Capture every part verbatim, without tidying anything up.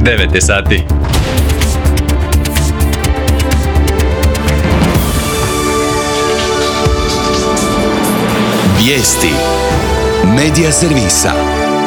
devet je sati. Vijesti Medija servisa.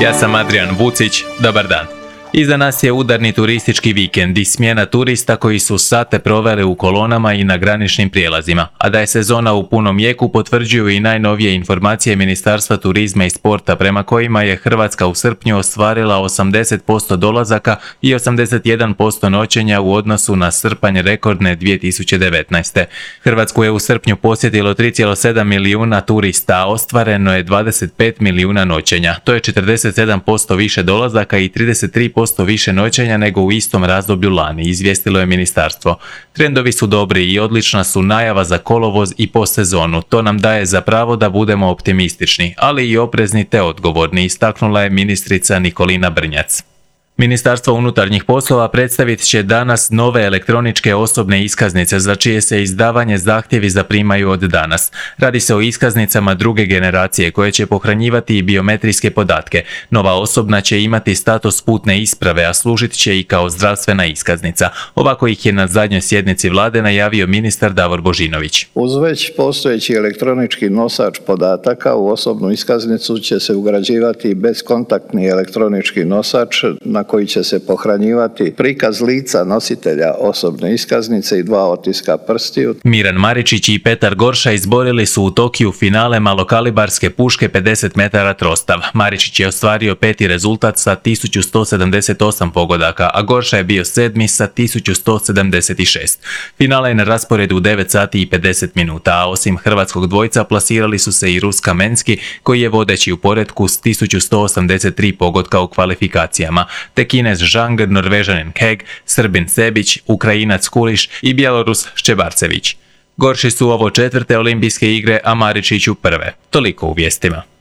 Ja sam Adrian Vucić, dobar dan. Iza nas je udarni turistički vikend i smjena turista koji su sate proveli u kolonama i na graničnim prijelazima, a da je sezona u punom jeku potvrđuju i najnovije informacije Ministarstva turizma i sporta prema kojima je Hrvatska u srpnju ostvarila osamdeset posto dolazaka i osamdeset jedan posto noćenja u odnosu na srpanj rekordne dvije tisuće devetnaeste. Hrvatsku je u srpnju posjetilo tri zarez sedam milijuna turista, a ostvareno je dvadeset pet milijuna noćenja. To je četrdeset sedam posto više dolazaka i trideset tri posto više noćenja nego u istom razdoblju lani, izvijestilo je ministarstvo. Trendovi su dobri i odlična su najava za kolovoz i postsezonu. To nam daje za pravo da budemo optimistični, ali i oprezni te odgovorni, istaknula je ministrica Nikolina Brnjac. Ministarstvo unutarnjih poslova predstavit će danas nove elektroničke osobne iskaznice za čije se izdavanje zahtjevi zaprimaju od danas. Radi se o iskaznicama druge generacije koje će pohranjivati i biometrijske podatke. Nova osobna će imati status putne isprave, a služit će i kao zdravstvena iskaznica. Ovako ih je na zadnjoj sjednici vlade najavio ministar Davor Božinović. Uz već postojeći elektronički nosač podataka u osobnu iskaznicu će se ugrađivati bezkontaktni elektronički nosač na koji će se pohranjivati prikaz lica nositelja osobne iskaznice i dva otiska prstiju. Miran Maričić i Petar Gorša izborili su u Tokiju finale malokalibarske puške pedeset metara trostav. Maričić je ostvario peti rezultat sa tisuću sto sedamdeset osam pogodaka, a Gorša je bio sedmi sa tisuću sto sedamdeset šest. Finale je na rasporedu u devet sati i pedeset minuta, a osim hrvatskog dvojca plasirali su se i Rus Kamenski, koji je vodeći u poretku s tisuću sto osamdeset tri pogotka u kvalifikacijama, te Kinez Zhang, Norvežanin Heg, Srbin Sebić, Ukrajinac Kuliš i Bjelorus Ščebarcević. Gorši su ovo četvrte olimpijske igre, a Maričiću prve. Toliko u vijestima.